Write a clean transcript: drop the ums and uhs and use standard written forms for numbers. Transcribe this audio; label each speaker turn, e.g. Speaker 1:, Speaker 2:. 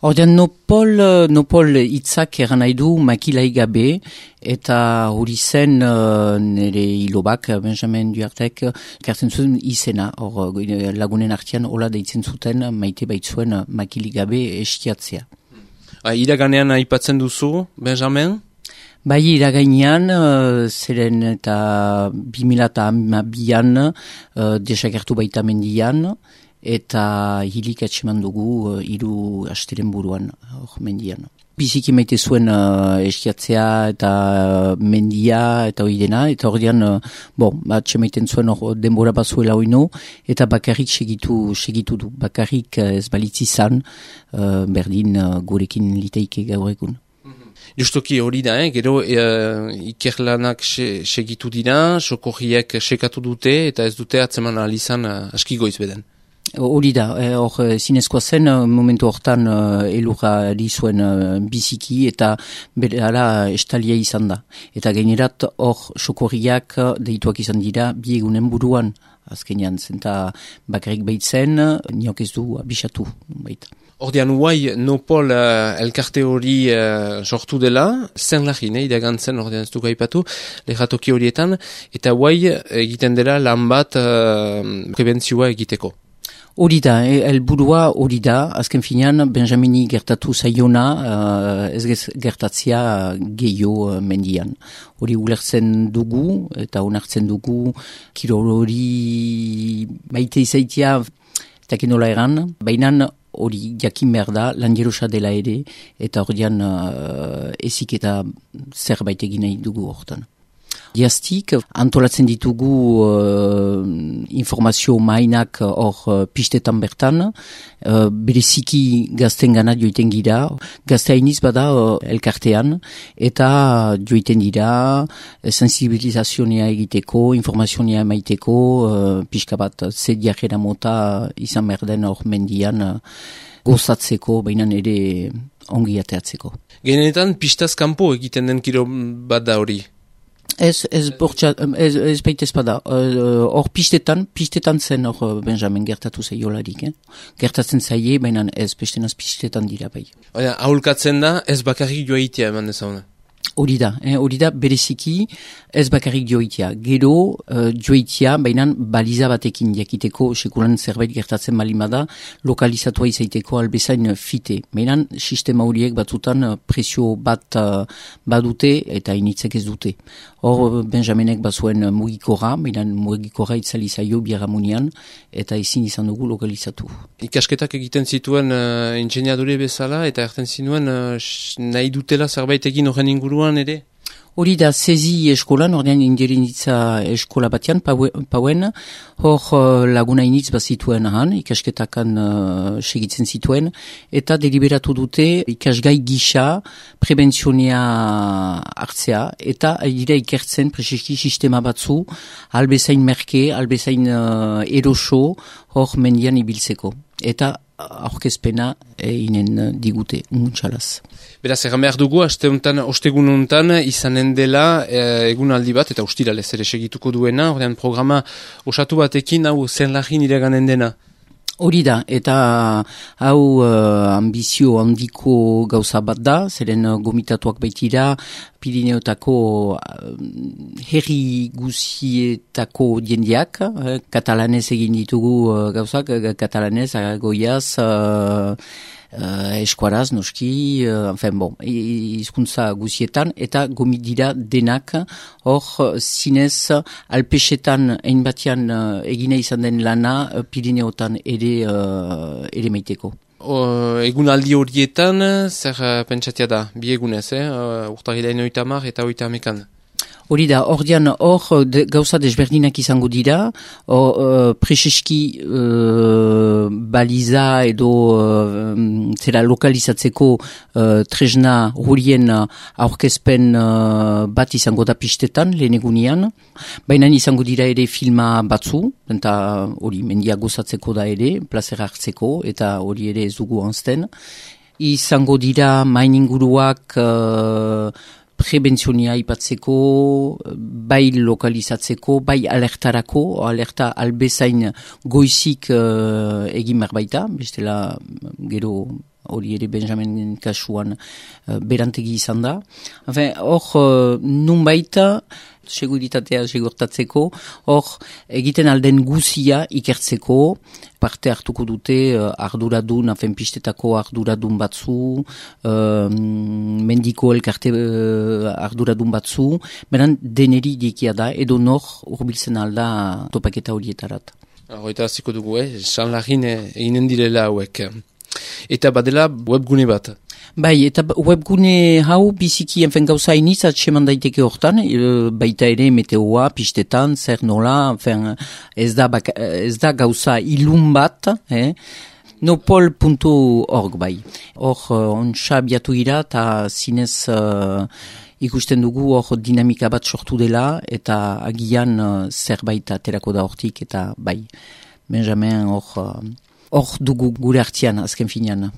Speaker 1: Ordean nopol hitzak eran nahi du makilai gabe, eta hori zen nire hilobak, Benjamin Duartek, kartzen zuen izena, lagunen artean hola deitzen zuten maite baitzuen makili gabe eskiatzea.
Speaker 2: Iraganean aipatzen duzu, Benjamin?
Speaker 1: Bai, iragainean, zeren eta 2002an desagertu baita mendian, eta hilik atseman dugu 3 asteren buruan mendian. Biziki maite zuen eskiatzea eta mendia eta hori dena, eta hori dean, atsemaiten zuen denbora bazuela oino, eta bakarrik segitu du. Bakarrik ez balitzi zan, berdin gurekin liteike gaur egun.
Speaker 2: Justoki hori da, gero ikerlanak segitu dira, sokorriek sekatu dute, eta ez dute atzeman alizan aski goiz beden.
Speaker 1: Hori da, zinezkoa zen, momentu hortan elurra zuen biziki eta berala estalia izan da. Eta gainerat hor sokorriak deituak izan dira 2 egunen buruan, azkenean zenta bakarrik baitzen, niok ez du abisatu baita.
Speaker 2: Ordean uai nopol elkarte hori sortu dela, zen lagin, iragantzen ordean ez du gaipatu, lehatoki horietan, eta uai egiten dela lan bat prebentzioa egiteko.
Speaker 1: Hori da, helburua hori da, azken finean Benjamini gertatu zaiona ez gertatzia gehiago mendian. Hori ulertzen dugu eta onartzen dugu kirol hori maite izaitia eta kenola eran, baina hori jakin behar da, lan jerosa dela ere, eta horian ezik eta zerbait egin nahi dugu hortan. Diaztik, antolatzen ditugu informazio mainak hor pistetan bertan, bereziki gazten gana joiten gira, gazte hainiz bada elkartean, eta joiten dira sensibilizazioa egiteko, informazioa emaiteko, pixka bat zediakera mota izan berden hor mendian gozatzeko, baina ere ongi ateatzeko.
Speaker 2: Genetan pistaz kanpo egiten den kiro bat da hori?
Speaker 1: Ez baita espada. Hor pistetan zen hor Benjamin gertatu zaiolarik. Gertatzen zaie, baina ez bestenaz pistetan dira bai.
Speaker 2: Aholkatzen da, ez bakarrik joaitea eman dezauna?
Speaker 1: Hori da bereziki ez bakarrik joitea. Gero joitea, baina baliza batekin jakiteko sekulan zerbait gertatzen balimada, lokalizatua izaiteko albezain fite. Baina sistema horiek batzutan presio bat badute eta initzek ez dute. Hor Benjaminek bazuen mugikora, baina mugikora itzali zaio biaramunian eta ezin izan dugu lokalizatu.
Speaker 2: Ikasketak egiten zituen ingeniadore bezala eta erten zinuen nahi dutela zerbait egin horren inguruan ere?
Speaker 1: Hori da Sezi eskolan, ordean indirinitza eskola batean, pauen, hor laguna initz bazituen ahan, ikasketakan segitzen zituen, eta deliberatu dute ikasgai gisa prebentzionea hartzea, eta dira ikertzen preseski sistema batzu, albezain merke, albezain eroso, hor mendian ibiltzeko. Eta aurkezpena inen digute, muntxalaz.
Speaker 2: Beraz, egan behar dugu, ostegun hontan izanen dela egunaldi bat, eta ustiralez ere segituko duena, ordean programa osatu batekin, hau zen lagin iraganen dena.
Speaker 1: Hori da, eta hau ambizio handiko gauza bat da, zeren gomitatuak baitira, Pirineotako herri guzietako diendiak, katalanez egin ditugu gauzak, katalanez, goiaz, eskuaraz, noski, hizkuntza guzietan, eta gomit dira denak, hor zinez alpesetan ein batean egina izan den lana Pirineotan ere maiteko.
Speaker 2: Egunaldi horietan, zer pentsatia da, bi egunez, urtahilain 30 eta 30
Speaker 1: Hori da, ordean hor gauza desberdinak izango dira, preseski baliza edo zera lokalizatzeko tresna horien aurkezpen bat izango da pistetan, lehen egunian, baina izango dira ere filma batzu, eta hori mendia gozatzeko da ere, plazera hartzeko, eta hori ere ez dugu anzten. Izango dira maininguruak prebentzionia ipatzeko, bai lokalizatzeko, bai alertarako, alerta albezain goizik egin behar baita, bestela gero hori ere Benjamin kasuan berantegi izan da. Hor, nunbait, seguritatea segurtatzeko, hor, egiten alden guzia ikertzeko, parte hartuko dute arduradun, pistetako arduradun batzu, mendiko elkarte arduradun batzu, beran deneri dikia da, edo nor urbiltzen alda topaketa horietarat.
Speaker 2: Horita ziko dugu, San Lagin eginen direla hauek. Eta badela webgune bat.
Speaker 1: Bai, eta webgune hau biziki gauza iniz atseman daiteke hortan, baita ere meteoa, pistetan, zer nola, ez da gauza ilun bat, nopol.org bai. Hor, ontsa biatu gira, eta zinez ikusten dugu hor dinamika bat sortu dela, eta agian zerbait aterako da hortik, eta bai, Benjamin hor dugu gure artian azken finean.